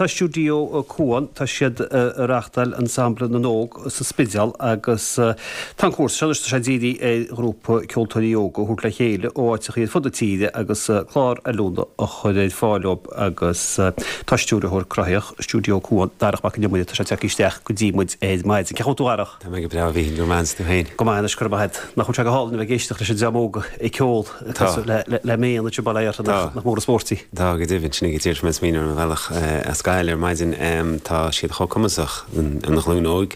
tá Stiúideo Cuan, tá siad ag reáchtáil Ensemble na nÓg sa Spidéal agus tá an cúrsa seo anois, tá sé dírithe ar ghrúpa ceoltóirí óga a thabhairt le chéile ó áiteachaí ar fud na tíre agus clár oiliúna a chur ar fáil dóibh agus tá stiúrthóir cruthaitheach Stiúideo Cuan, Darach Mac Con Iomaire, tá sé tagtha isteach go dtí muid ar maidin. Cén chaoi a bhfuil tú a Dharach? Tá mé go breá, a Mhíchíl, go raibh maith agat, is tú féin? Go maith anois, go raibh maith agat. Nach bhfuil sé go hálainn a bheith ag éisteacht leis an dream óg ag ceol le méan anseo i Baile Fheartha, nach mór an spórt í? Tá, go deimhin, sin ag díreach mé ag smaoineamh ar mo bhealach as Gaillimh ar maidin. Tá siad chomh cumasach, an ghlúin óg.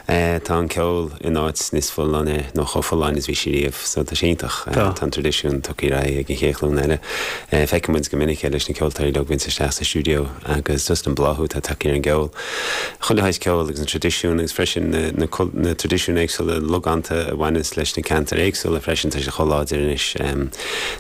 Tá an ceol in áit níos folláine nó chomh folláin is bhí sé riamh, so tá sé iontach. Tá an traidisiún tugtha ar aghaidh ag an chéad ghlúin eile. Feiceann muid go minic é leis na ceoltóirí uilig a bhíonns isteach sa stiúideo agus just an bláthú atá tagtha ar an gceol. Chuile shaghas ceoil agus an traidisiún agus freisin na na traidisiúin éagsúla logánta a bhaineas leis na ceantair éagsúla freisin, tá sé chomh láidir anois.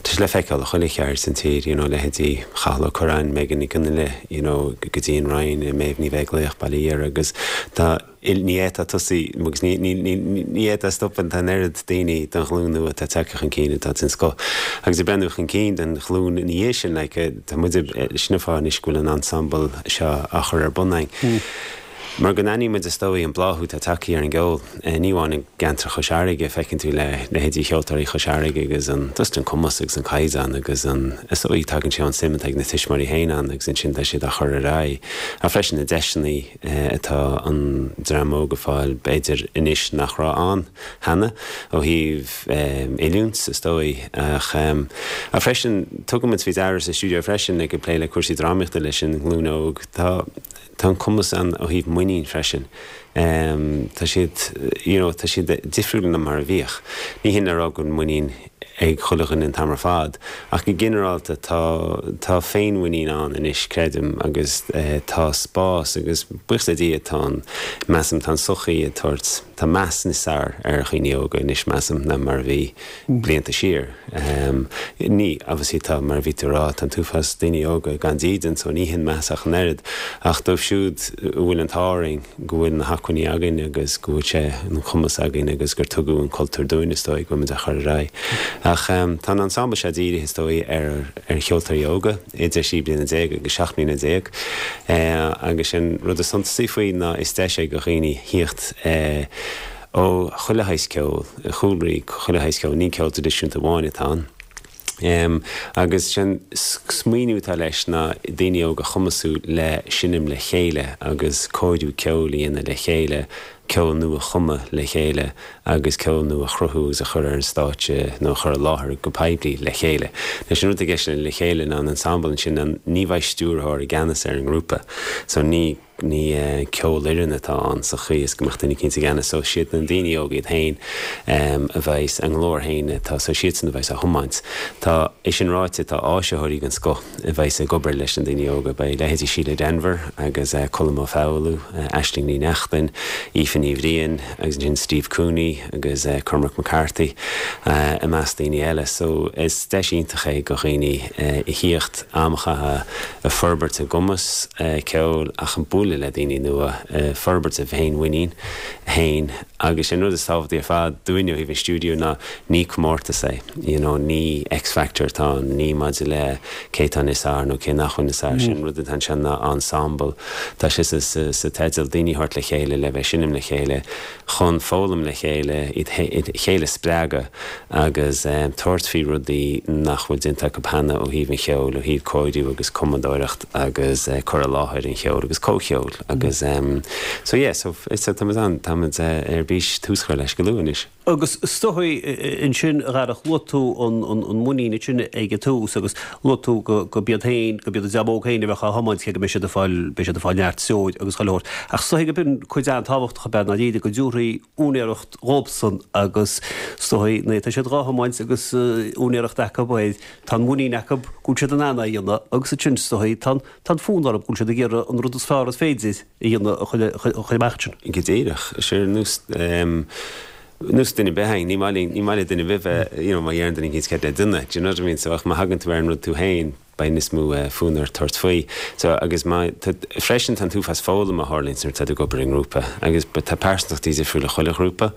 Tá sé le feiceáil i chuile cheard san tír, you know, leithéidí Chathal Ó Curráin, Megan Nic Fhionnghaile, you know, go dtí an Rinn, Méabh Ní Bheaglaoich, Baile Dhéire agus tá, ní fhéadfá tosaí agus ní ní fhéadfá stopadh, tá an oiread daoine den ghlúin nua atá tagtha chun cinn atá den scoth. Agus ag breathnú chun cinn don ghlúin ina dhiaidh sin, like, tá muid, sin an fáth anois go bhfuil an ensemble seo á chur ar bun againn. Mar go n-aithníonn muid is dóigh an bláthú atá tagtha ar an gceol, ní amháin i gceantar Chois Fharraige, feiceann tú le leithéidí Cheoltóirí Chois Fharraige agus an, just an cumas agus an caighdeán agus an, is dóigh tagann sé ón suim atá ag na tuismitheoirí féin ann agus ansin tá siad á chur ar aghaidh. Ach freisin na deiseanna atá an dream óg ag fáil b'fhéidir anois nach raibh ann cheana ó thaobh oiliúint is dóigh ach ach freisin tugann muid faoi deara sa stiúideo freisin ag plé le cúrsaí drámaíochta leis an nglúin óg tá Tá an cumas ann ó thaobh muinín freisin. Tá siad, you know, tá siad difriúil ná mar a bhíodh. Ní hin le rá go bhfuil muinín ag chuile dhuine an t-am ar fad, ach go ginearálta tá, tá féinmhuinín ann anois, creidim, agus tá spás agus buíochas le Dia tá an, measaim, tá an tsochaí ag tabhairt, tá meas níos fearr ar dhaoine óga anois, measaim, ná mar a bhí blianta siar. Ní, obviously tá, mar a bhí tú a rá, tá an t-uafás daoine óga gan dídean so ní hin meas ach an oiread. Ach dóibh siúd a bhfuil an t-ádh orainn go bhfuil na hacmhainní againn agus go bhfuil sé an cumas againn agus gur tugadh an cultúr dúinn is dóigh go bhfuil muid á chur ar aghaidh. Ach tá an ensemble seo dírithe is dóigh ar ar cheoltóirí óga idir 16 bliana agus 17 mbliana. Agus an rud is suntasaí faoi ná is deis é do dhaoine thíocht ó chuile shaghas ceoil, chúlraí chuile shaghas ceoil, ní ceol traidisiúnta amháin atá ann. Agus sé'n smaoineamh atá leis ná daoine óga a chumasú le seinm le chéile agus cóiriú ceoil a dhéanamh le chéile, ceol nua a chumadh le chéile agus ceol nua a chruthú agus a chur ar an stáitse nó a chur i láthair go poiblí le chéile. Anois an rud i gceist le le chéile ná an ensemble ansin ná ní bheidh stiúrthóir i gceannas ar an ngrúpa so ní Ní ceolfhoireann atá ann sa chaoi is go mbeadh duine eicínt i gceannas so siad na daoine óga iad féin a bheas a nglór féin atá so siadsan a bheas á thiomáint. Tá é sin ráite tá áisitheoirí den scoth a bheas ag obair leis na daoine óga. Beidh leithéidí Síle Denvir agus Colm Ó Foghlú, Aisling Ní Neachtain, Aoife Ní Bhriain agus ansin Steve Cooney agus Cormac McCarthy i measc daoine eile. So is deis iontach é do dhaoine a thíocht am a chaitheamh ag forbairt a gcumas ceoil ach ag bualadh le daoine nua, ag forbairt a bhféinmhuinín féin agus an rud is tábhachtaí ar fad dúinne ó thaobh an stiúideo ná ní comórtas é, you know, ní X-Factor atá ann, ní maidir le cé atá níos fearr nó cé nach bhfuil níos fearr, sé an rud atá anseo ná ensemble, tá sé sa teideal, daoine a thabhairt le chéile le bheith ag seinm le chéile. chun foghlaim le chéile, iad a chéile a spreagadh agus tabhairt faoi rudaí nach bhfuil déanta acu cheana ó thaobh an cheoil, ó thaobh cóiriú agus cumadóireacht agus cur i láthair an cheoil agus comhcheol agus so yeah so táimid an, táimid ar bís tús a chur leis go luath anois. Agus is dóigh ansin, a Dharach, luaigh tú an muinín ansin ag an tús agus luaigh tú go b'iad féin, go b'iad an dream óg féin a bheadh á thiomáint cé go mbeidh siad ag fáil, beidh siad ag fáil neart treoir agus chuile shórt. Ach is dóigh go b'in cuid an-tábhachtach ab ea ndáiríre go dtabharfaí úinéireacht dhóibhsan agus is dóigh nuair atá siad dhá thiomáint agus úinéireacht acu air, tá an mhuinín acu go bhfuil siad in ann é a dhéanamh agus ansin is dóigh tá an fonn orthu go bhfuil siad ag iarraidh an rud is fearr is féidir a dhéanamh a chur amach ansin. Go díreach. Is ar nós nós duine ar bith againn, ní maith linn, ní maith le duine ar bith bheith, you know, má dheireann duine eicínt cead le duine, do you know what I mean? So ach má thagann tú ar an rud tú féin, beidh níos mó fonn ort tabhairt faoi. So agus má, tá, freisin tá an t-uafás foghlama a tharlaíonns nuair atá tú ag obair i ngrúpa agus tá pearsantachtaí difriúla i chuile ghrúpa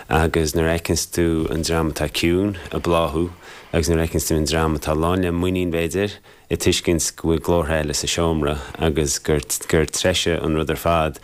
agus nuair a fheiceanns tú an dream atá ciúin ag bláthú agus nuair a fheiceanns tú an dream atá lán le muinín b'fhéidir. Ag tuiscint go bhfuil glórtha eile sa seomra agus gur gur treise an rud ar fad,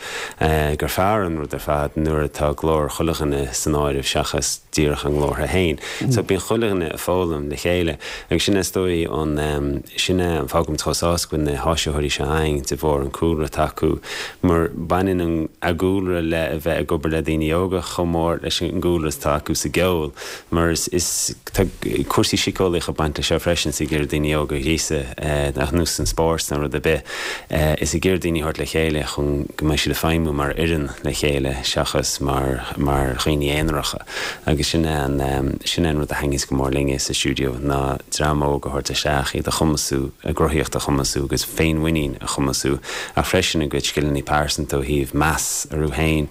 gur fearr an rud ar fad nuair atá glór chuile dhuine san áireamh seachas díreach a nglórtha féin. So bíonn chuile dhuine ag foghlaim le chéile agus sin é is dóigh an, sin é an fáth go bhfuil muid chomh sásta go bhfuil na háisitheoirí seo againn de bharr an cúlra atá acu mar baineann an a gcúlra le a bheith ag obair le daoine óga chomh mór leis an gcúlra atá acu sa gceol. Mar is, is, tá cúrsaí síceolaíocha ag baint leis seo freisin, is ag iarraidh daoine óga a ghríosadh, ar nós an spóirt nó rud ar bith, is ag iarraidh daoine a thabhairt le chéile chun go mbeidh siad ag feidhmiú mar fhoireann le chéile seachas mar, mar dhaoine aonaracha. Agus sin é an, sin é an rud a thaitníos go mór linne sa stiúideo ná dream óg a thabhairt isteach, iad a chumasú, a gcruthaíocht a chumasú agus féinmhuinín a chumasú ach freisin a gcuid scileanna pearsanta ó thaobh meas orthu féin,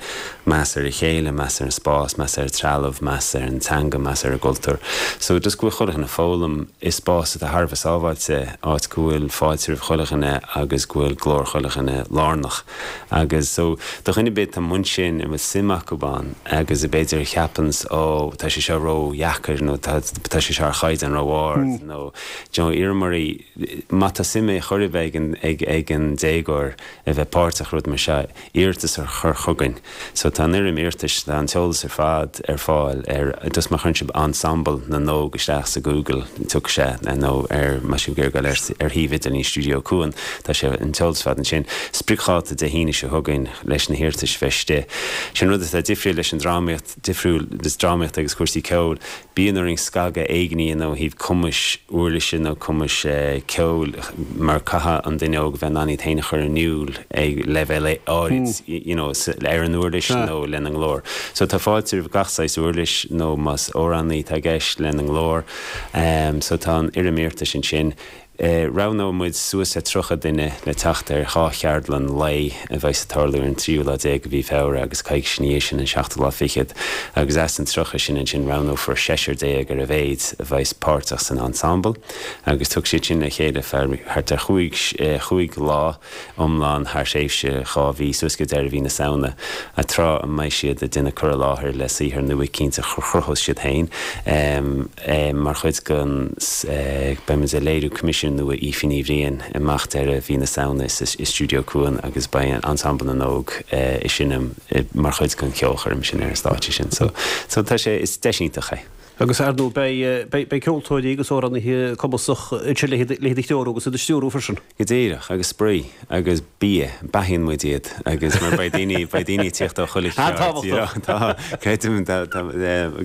meas ar a chéile, meas ar an spás, meas ar an trealamh, meas ar an teanga, meas ar an gcultúr. So just go bhfuil chuile dhuine ag foghlaim i spás atá thar a bheith sábháilte, áit go bhfuil fáilte roimh chuile dhuine agus go bhfuil glór chuile dhuine lárnach. Agus so do dhuine ar bith atá amuigh ansin a bhfuil suim acu ann agus a b'fhéidir a cheapanns ó tá sé seo ró-dheacair nó tá tá sé seo ar chaighdeán ró-ard nó do you know iarraim oraibh má tá suim ar chor ar bith ag an ag ag an déagóir a bheith páirteach i rud mar seo, iarratas a chur chugainn. So tá an fhoirm iarratais, tá an t-eolas ar fad ar fáil ar, just má chuireann sibh Ensemble na nÓg isteach sa Google, tiocfaidh sé, nó ar, má tá sibh ag iarraidh dul ar, ar shuíomh idirlín Stiúideo Cuan, tá sé, an t-eolas ar fad ansin. Spriocdháta Dé hAoine seo chugainn leis na hiarratais a bheith istigh. Sin rud atá difriúil leis an drámaíocht, difriúil le drámaíocht agus cúrsaí ceoil. Bíonn orainn scagadh éigin a dhéanamh ó thaobh cumais uirlise nó cumais ceoil mar caithfidh an duine óg a bheith in ann iad féin a chur in iúl ag leibhéal áirid you know ar an uirlis nó lena nglór. So tá fáilte roimh gach saghas uirlis nó más amhránaí atá i gceist lena nglór. So tá an fhoirm iarratais ansin. Roghnóidh muid suas le 30 duine le teacht ar dhá cheardlann lae a bheas ag tarlú ar an tríú lá déag de mhí Feabhra agus coicís ina dhiaidh sin an seachtú lá fichead agus as an 30 sin ansin roghnófar seisear déag ar a mhéid a bheas páirteach san ensemble agus tiocfaidh siad sin le chéile feadh thart ar chúig chúig lá iomlán thar thréimhse dhá mhí, suas go deireadh mhí na Samhna, tráth a mbeidh siad ag déanamh cur i láthair le saothar nua eicínt a chruthós siad féin. Mar chuid den, beidh muid ag léiriú coimisiún nua Aoife Ní Bhriain amach deireadh mhí na Samhna i Stiúideo Cuan agus beidh Ensemble na nÓg ag seinm mar chuid den cheolchoirm sin ar an stáitse sin. So, tá sé, is deis iontach é. Agus ar ndóigh beidh, beidh ceoltóirí agus amhránaithe cumasach ansin le hiad a threorú agus iad a stiúrú freisin. Go díreach, agus spraoi, agus bia, beathaíonn muid iad, agus mar beidh daoine, beidh daoine ag tíocht ó chuile cheard, you know, tá, creidim, tá, tá,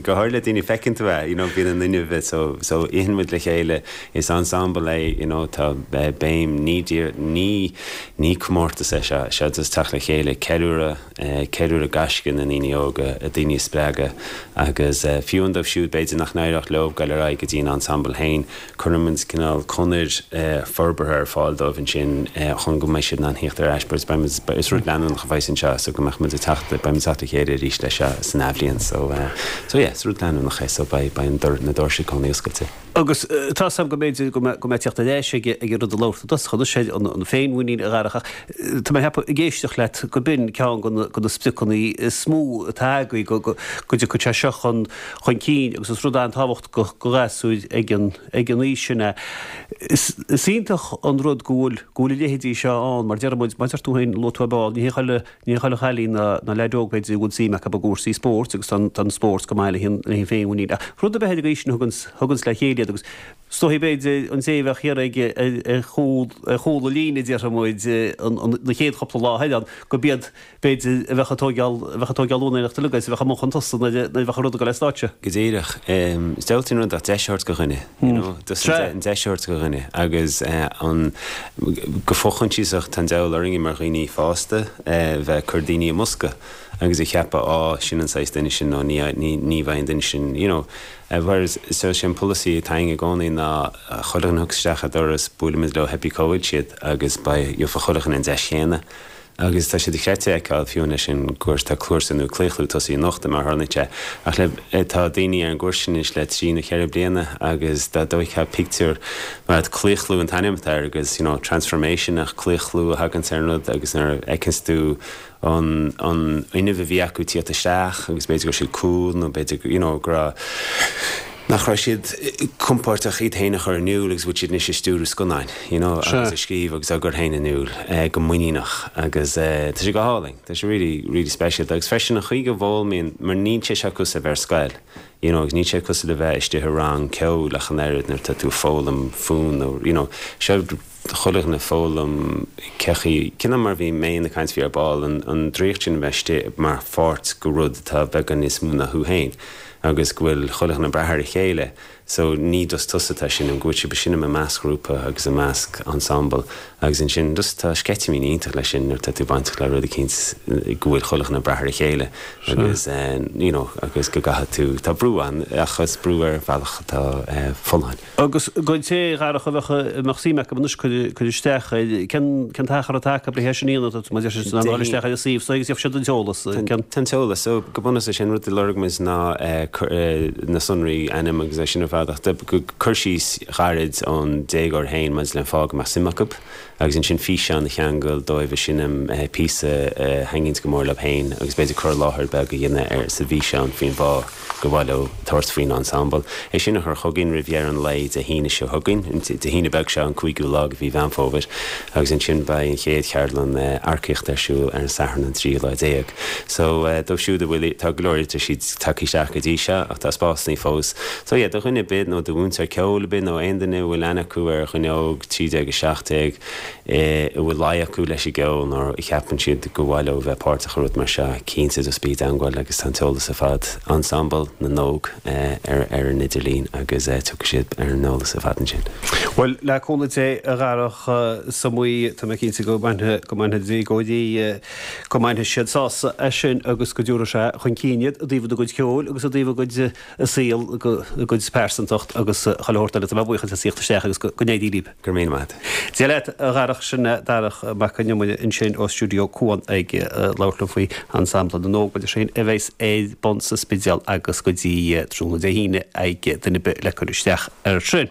go háirithe le daoine, feiceann tú é, you know, bíonn an fhuinneamh, so, so itheann muid le chéile, is ensemble é, you know, tá béim, ní, ní, ní comórtas é seo, seo just teacht le chéile, ceiliúradh, ceiliúradh gaisce na ndaoine óga, daoine a spreagadh agus fiú amháin dóibh siúd b'fhéidir nach n-éireodh leo dul ar aghaidh go dtí an ensemble féin, cuireann muid cineál conair forbartha ar fáil dóibh ansin chun go mbeidh siad in ann thíocht ar ais. Beidh muid, is rud leanúnach a bheas anseo so go mbeadh muid ag teacht, beidh muid ag teacht le chéile arís leis seo san athbhliain so, so yeah, is rud leanúnach é so beidh, beidh an dor, na doirse i gcónaí oscailte. Agus tá 's agam go mb'fhéidir go mbeidh teacht ar ais ag an rud a labhair tú i dtosach anois ar an féinmhuinín a Dharach ach tá mé ag ceapadh ag éisteacht leat go b'in ceann de na spriocanna is mó atá agaibh go dtiocfaidh sé seo chun cinn agus is rud an-tábhachtach do ghasúir ag an ag an aois sin é. Is iontach an rud go bhfuil go bhfuil a leithéidí seo ann mar deir muid, mar deir tú féin, luaigh tú ar ball, ní hé chuile Ní chuile chailín ná leaid óg b'fhéidir a bhfuil suim acu i gcúrsaí spóirt agus tá an spórt go maith le haghaidh an féinmhuinín. Ach rud ar bith ag an aois sin a thuganns le chéile iad agus is dóichí b'fhéidir an té a bheadh thiar ag ar chúl ar chúl na líne déarfaidh muid na chéad chúpla lá eile ann gurb iad b'fhéidir a bheadh ag tóigeáil a bheadh ag tóigeáil úinéireacht uilig agus a bheadh amuigh chun tosaigh nuair a bheadh an rud ag dul ar stáitse. Go díreach. Is diabhaltaí an rud ach deis a thabhairt do dhuine, you know, just an deis a thabhairt do dhuine agus an, go fo-choinsiasach tá an diabhal orainne mar dhaoine fásta bheith ag cur daoine i mbosca agus a cheapadh á, sin an saghas duine sin nó ní, ní, ní bheidh an duine sin, you know. Whereas, so sé an polasaí atá againn i gcónaí ná chuile dhuine a thiocfas isteach an doras buailfimid leo pé bí cá bhfuil siad agus beidh, gheobhaidh chuile dhuine an deis chéanna. Agus tá sé dochreidte a fheiceáil, fiú leis an gcúrsa, tá cúrsa nua Claochlú tosaithe anocht, mar a tharlaíonn sé, ach le, tá daoine ar an gcúrsa sin anois le trí nó cheithre bliana agus dá bhfeicfeá pictiúr, mar Claochlú an t-ainm atá air agus, you know, transformation ach claochlú a thaganns ar an rud agus nuair a fheiceanns tú an, an fhuinneamh a bhí acu tíocht isteach agus b'fhéidir go raibh siad cúl nó b'fhéidir, you know, go raibh. Nach raibh siad compordach iad féin a chur in iúl agus bhfuil siad anois ag stiúradh scannáin, you know, agus ag scríobh agus á gcur féin in iúl go muiníneach agus tá sé go hálainn, tá sé really, really speisialta agus freisin an chaoi go bhfoghlaimíonn, mar níl sé seo cosúil le bheith ar scoil, you know, agus níl sé cosúil le bheith istigh i rang ceoil ach an oiread nuair atá tú ag foghlaim fonn nó, you know, seo chuile dhuine ag foghlaim cé chaoi, cineál mar a bhí mé ag caint faoi ar ball, an draíocht sin a bheith istigh mar pháirt de rud atá beagán níos mó ná thú féin agus go bhfuil chuile dhuine ag brath ar a chéile so ní just tusa atá ag seinm, go bhfuil sibh ag seinm i measc ghrúpa agus i measc ensemble agus ansin just tá sceitimíní iontach leis sin nuair atá tú bainteach le rud eicínt go bhfuil chuile dhuine ag brath ar a chéile agus you know agus go gcaithfidh tú, tá brú ann ach is brú ar bhealach atá folláin. Agus don té, a Dharach, a bheadh, a mbeadh suim acu anois cur isteach air, cén, cén t-achar atá acu le hé sin a dhéanamh, mar deir siad, ná dul isteach ar an suíomh so agus gheobhaidh siad an t-eolas, cén. Tá an t-eolas, so go bunúsach sé an rud a lorg muid ná na sonraí, ainm agus é sin ar fad ach cur síos ghairid ón déagóir féin maidir le an fáth go mbeadh suim acu agus ansin físeán a cheangal dóibh ag seinm píosa a thaitníonns go mór leo féin agus b'fhéidir cur i láthair beag a dhéanamh ar sa bhfíseán faoin bhfáth. gur mhaith leo tabhairt faoin ensemble. É sin a chur chugainn roimh dheireadh an lae Dé hAoine seo chugainn, Dé hAoine beag seo, an cúigiú lá de mhí Mheán Fómhair, agus ansin beidh an chéad cheardlann earcaíochta ar siúl ar an Satharn an tríú lá déag. So, dóibh siúd a bhfuil, tá go leor iarratais tagtha isteach go dtí seo ach tá spásanna fós. So yeah, do dhuine ar bith nó do mhúinteoir ceoil ar bith nó aon duine a bhfuil aithne acu ar dhuine óg 13, 17, a bhfuil luí acu leis an gceol nó a cheapann siad gur mhaith leo bheith páirteach i rud mar seo, cinnte just bí i dteangmháil agus tá an t-eolas ar fad, Ensemble na nÓg ar ar an idirlíon agus tiocfaidh siad ar an eolas ar fad ansin. Bhuel, le cúnamh Dé, a Dharach, is maith, tá mé cinnte go mbainfidh, go mbainfidh déagóirí, go mbainfidh siad sásamh as sin agus go dtabharfaidh sé chun cinn iad i dtaobh a gcuid ceoil agus i dtaobh a gcuid a saol, a gcuid pearsantacht agus chuile shórt eile. Tá mé buíoch as a thíocht isteach agus go n-éirí libh. Go raibh míle maith agat. Dia leat, a Dharach, sin é Darach Mac Con Iomaire ansin ó Stiúideo Cuan ag labhairt liom faoi Ensemble na nÓg, mar sin, a bheas ar bun sa Spidéal agus go dtí tráthnóna Dé hAoine ag duine ar bith le cur isteach air sin.